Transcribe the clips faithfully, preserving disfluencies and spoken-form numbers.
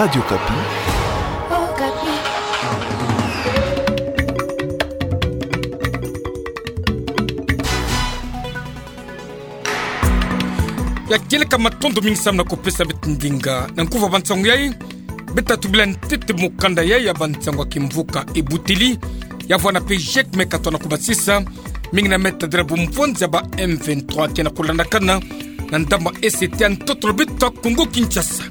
Radio Okapi. Ya kieleka, matondo mingi samu na kupesa beto ndinga. Na nkufi ya bansangu yai, beta tubila ntete mukanda yai ya bansangu ya kimvuka Ebuteli, ya vwanda pe GIEC me katoa na kubasisa, mingi na metadila bumvwanza ba M vingt-trois ke na kulandakana na ndambu E C T ya ntoto na beto Kongo Kinshasa.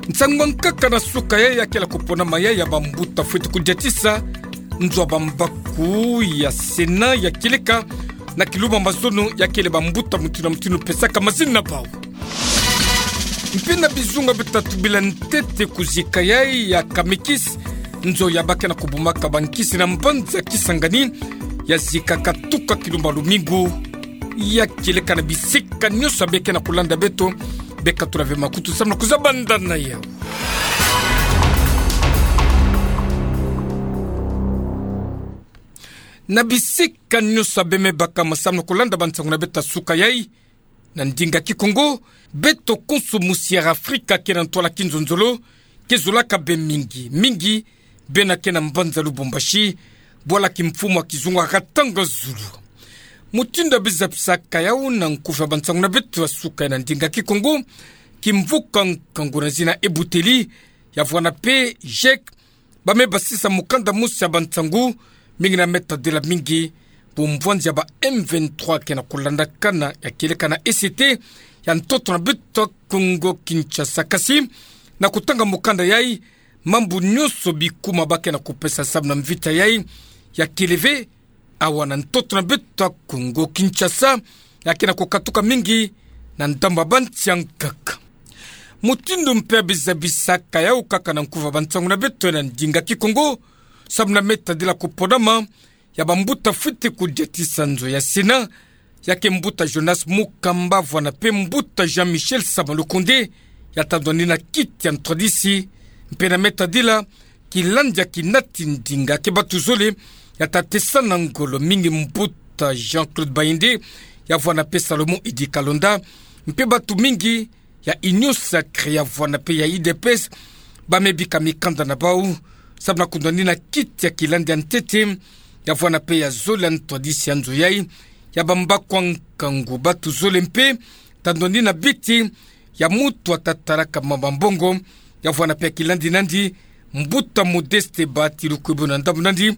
Nsangu ya nkaka na suka yai ya kele kuponama yai ya bambuta fwete kudiatisa nzo ya bambaku ya Sénat ya kieleka na kilumbu ya mazono ya kele bambuta mutindu na mutindu pesaka mazina na bau. Mpe na bizunga beta tubila ntete kuzika yai ya Camekis, nzo ya ba ke na kubumaka bankisi na mbanza Kisangani, ya zikaka tuka kilumbu ya lumingu ya kieleka. Na bisika nyonso ya be ke na kulanda beto, beka tula ve makutu samu na kuzaba ndanda yau. Na bisika nyonso ya be me baka ma samu na kulanda bansangu na beto ya suka yai na ndinga Kikongo, beto konso musi ya Afrika ke na ntwala kinzonzolo, ke zolaka be mingi, mingi bena ke na mbanza Lubumbashi, bwala kimfumu ya kizunga katanga zulu. Mutindu ya biza bisaka yau na nkufi ya bansangu na beto ya suka yai na ndinga Kikongo, kimvuka nkangu na zina Ebuteli, ya vwanda pe GIEC, ba me basisa mukanda mosi ya bansangu, mingi na metadila mingi bumvwanza ba M vingt-trois ke na kulandakana ya kieleka na E C T ya ntoto na beto Kongo Kinshasa. Kasi, na kutanga mukanda yai, mambu nyonso bikuma ba ke na kupesa samu na mvita yai ya kele ve awa na ntoto na beto Kongo Kinshasa, ya ke na kukatuka mingi na ndambu ya bansi ya nkaka. Mutindu mpe ya biza bisaka yau kaka na nkufi ya bansangu na beto na ndinga Kikongo, samu na metadila kuponama ya bambuta fwete kudiatisa nzo ya Sénat, ya ke mbuta Jonas Mukamba vwanda pe mbuta Jean-Michel Sama Lukonde, ya tandwani na kiti ya ntwadisi, mpe na metadila kilandi ya kinati ndinga ke batu zole ya ta tesa na ngolo, mingi mbuta Jean-Claude Bayende, ya vwanda pe Salomon Idi Kalonda, mpe batu mingi ya Union Sacrée ya vwanda pe ya U D P S, ba me bika mikanda na bau, samu na kundwani na kiti ya kilandi ya ntete, ya vwanda pe ya zole ya ntwadisi ya nzo yai, ya bambaku ya nkangu, batu zole mpe, tandwani na biti ya mutu ya ta talaka mama mbongo, ya vwanda pe ya kilandi nandi, mbuta Modeste Bahati Lukwebo na ndambu nandi,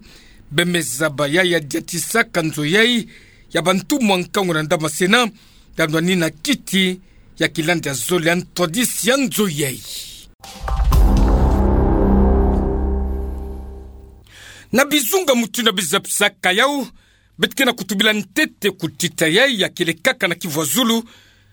be me zaba yai ya diatisaka nzo yai ya bantumwa nkangu na ndambu ya Sénat, tandwani na kiti ya kilandi ya zole ya ntwadisi ya nzo yai. Na bizunga mutindu ya biza bisaka yau, beto ke na kutubila ntete kutita yai ya kele kaka na Kivu ya Zulu,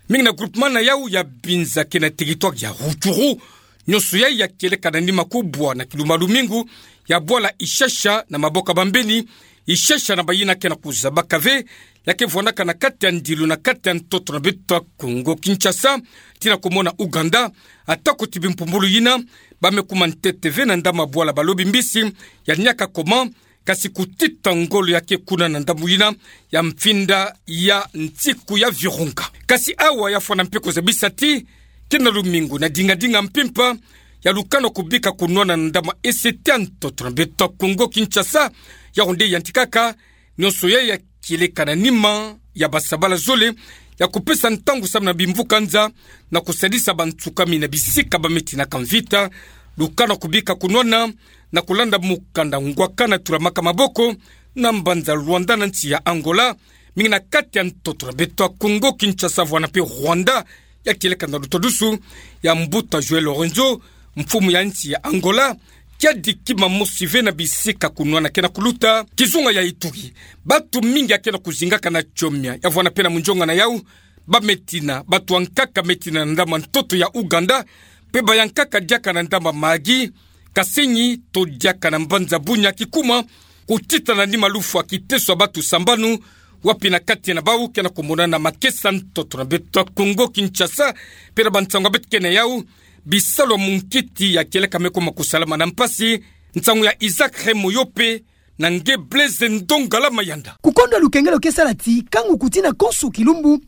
mingi na groupement na yau ya Binza ke na territoire ya Rutshuru, nyonso yai ya kieleka na nima kubwa na kilumbu ya lumingu, ya bwala Ishasha na maboko ya bambeni, Ishasha na bayina ke na kuzabaka ve, ya ke vwandaka na kati ya ndilu na kati ya ntoto na beto Kongo Kinshasa, tii na komona Ouganda, ata kuti bimpumbulu yina, ba me kuma ntete ve na ndambu ya bwala Balobi Mbisi ya Niakakoma, kasi kutita ngolo ya ke kuna na ndambu yina ya mfinda ya nsiku ya Virunga. Kasi awa ya fwana mpe kuzabisa ti, ke na lumingu na dingadinga mpimpa, ya lukana kubika kunwana na ndambu ya E C T ya ntoto na beto Kongo Kinshasa, ya onde yantikaka, nyonso yai ya kieleka na nima ya basabala zole, ya kupesa ntangu samu na bimvuka nza, na kusadisa bansukami na bisika ba me tinaka mvita, lukana kubika kunwana, na kulanda mukanda ngwakana tulamaka maboko, na mbanza Luanda na nsi ya Angola, mingi na kati ya ntoto na beto Kongo Kinshasa vwana mpe Rwanda, ya kieleka na lutadusu ya mbuta João Lourenço, mfumu ya nsi ya Angola, kiadi kima mosi ve na bisika kunwana ke na kuluta, kizunga ya Ituri. Batu mingi ya ke na kuzingaka na Tchomia, ya vwana mpe na munzonga na yau, ba me tina, batu ya nkaka me tina na ndambu ya ntoto ya Ouganda, mpe baya nkaka diaka na ndambu ya Mahagi, Kasenyi, to diaka na mbanza Bunia kikuma, kutita na nima lufwa kiteso ya batu sambanu, wapi na kati na bau ke na kumonana makesa ntoto na beto Kongo Kinshasa, mpe na bansangu ya beto ke na yau, bisalu ya munkiti ya kieleka me kuma kusalama na mpasi, nsangu ya Isaac Remo Yope, na nge Blaise Ndongala Mayanda. Kukondwa lukengelo ke sala ti, kangu kutina konso kilumbu,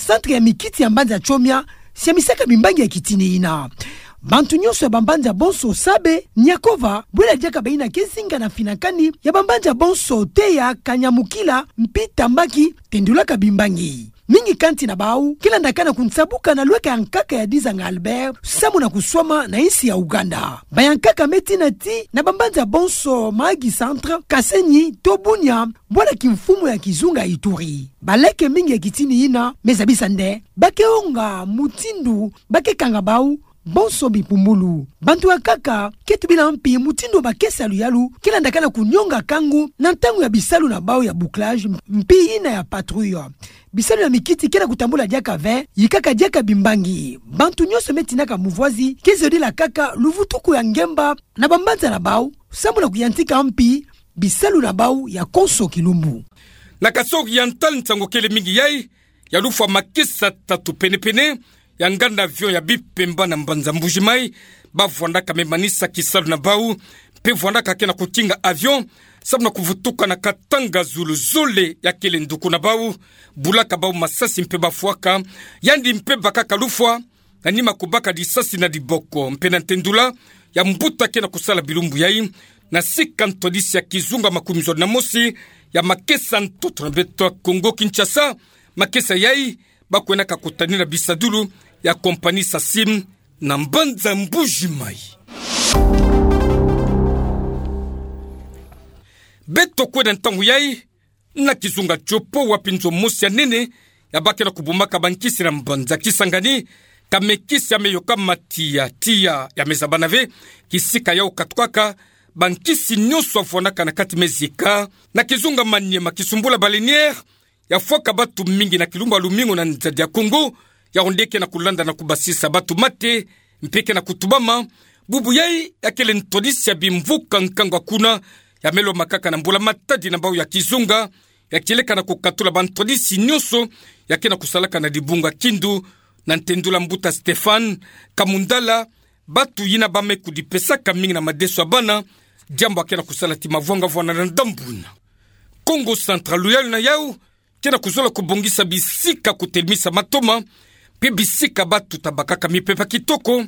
centre ya mikiti ya mbanza Tchomia, siamisaka bimbangi ya kitini yina. Bantu nyonso ya bambanza bonso Sabe, Nyakova, Bwela diaka baina ke zinga na finakani ya bambanza bonso Teya, Kanyamukila, mpi Tambaki, tendulaka bimbangi. Mingi kanti na bau ke landakana kunsabuka na lweka ya nkaka ya Dizanga Albert, samu na kuswama na insi ya Ouganda. Bayankaka me tina ti na bambanza bonso Mahagi Centre, Kasenyi, to Bunia, bwala kimfumu ya kizunga Ituri. Baleke mingi ya kitini ina me zabisa nde ba ke onga mutindu ba ke kanga bau bonso bipumbulu. Bantu ya nkaka ke tubila mpi mutindu bakesa luyalu ke landakana kunyonga kangu na ntangu ya bisalu na bau ya bouclage mpi ina ya patrouille. Bisalu ya mikiti ke na kutambula diaka ve, yikaka diaka bimbangi. Bantu nyonso me tinaka muvwazi ke zodila kaka luvutuku ya ngemba na bambanza na bau, samu na kuyantika mpi bisalu na bau ya konso kilumbu. Na kasori ya ntal nsangu kele mingi yai, ya lufwa makesa tatu pene-pene ya nganda avion ya Bipemba na mbanza Mbuji-Mayi, ba vwandaka me manisa kisalu na bau, mpe vwandaka ke na kutinga avion, samu na kuvutuka na Katanga zulu zole ya kele nduku na bau, bulaka bau masasi mpe bafwaka, yandi mpe bakaka lufwa, na nima kubaka disasi na diboko, mpe na ntendula ya mbuta ke na kusala bilumbu yai, na sika ntwadisi ya kizunga makumi zole na mosi ya makesa ntoto na beto ya Kongo Kinshasa, makesa yai, ba kwendaka kutanina bisadulu ya compagnie Sacim na mbanza Mbuji-Mayi. Beto kwenda ntangu yai, na kizunga Tshopo wapi nzo mosi ya nene, ya ba ke na kubumaka bankisi na mbanza Kisangani, ka me kisi ya me yoka matiya-tiya ya me zabana ve, kisika yau katukaka, bankisi nyonso ya vwanaka na kati me zieka, na kizunga Maniema Kisumbula Baleinière, ya fwaka batu mingi na kilumbu ya lumingu na nzadi ya Kongo, yau nde ke na kulanda na kubasisa batu mate, mpe ke na kutubama, bubu yai ya kele ntwadisi ya bimvuka nkangu ya kuna, ya me lomba kaka na mbula-matadi na bau ya kizunga, ya kieleka na kukatula bantwadisi nyonso, ya ke na kusalaka na dibunga Kindu, na ntendula mbuta Stéphane Kamundala, batu yina ba me kudipesaka mingi na madeso ya bana, diambu ya ke na kusala ti mavwanga-vwanga na ndambu yina. Kongo Central, luyalu na yau, ke na kuzola kubongisa bisika kutelemisa matoma, mpe bisika batu ta bakaka mipepe kitoko,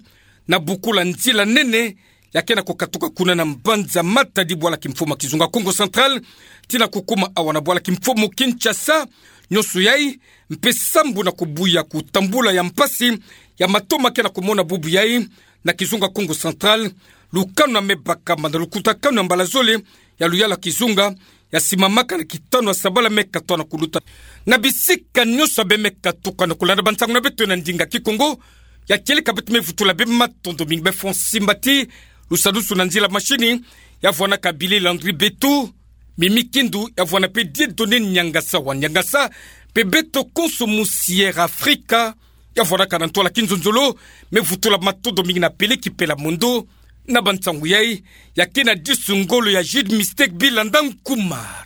na bukula nzila nene, ya ke na kukatuka kuna na mbanza Matadi bwala kimfumu ya kizunga Kongo Central, tii na kukuma awa na bwala kimfumu Kinshasa, nyonso yai, mpe sambu na kubuya kutambula ya mpasi, ya matoma ke na kumona bubu yai, na kizunga Kongo Central, lukanu ya me bakama na lukutakanu ya mbala zole, ya luyalu ya kizunga, ya simamaka na kitanu ya sabala me katoa na kuluta. Na bisika nyonso ya be me katuka na kulanda bansangu na beto na ndinga Kikongo, ya kieleka beto me vutula bê matondo mingi, bê Francis Mbati, lusadusu na nzila mashini, ya vwanaka Billy Landry Betu, Mimi Kindu, ya vwana mpe Dieudonné Niangasa wa Niangasa, mpe beto konso mu Sierra Africa, ya vwanaka na ntwala kinzonzolo, me vutula matondo mingi na Peleki Pela Mondo, na bansangu yai, ya ke na disu ngolo ya Jude Mistake Bilanda Nkuma.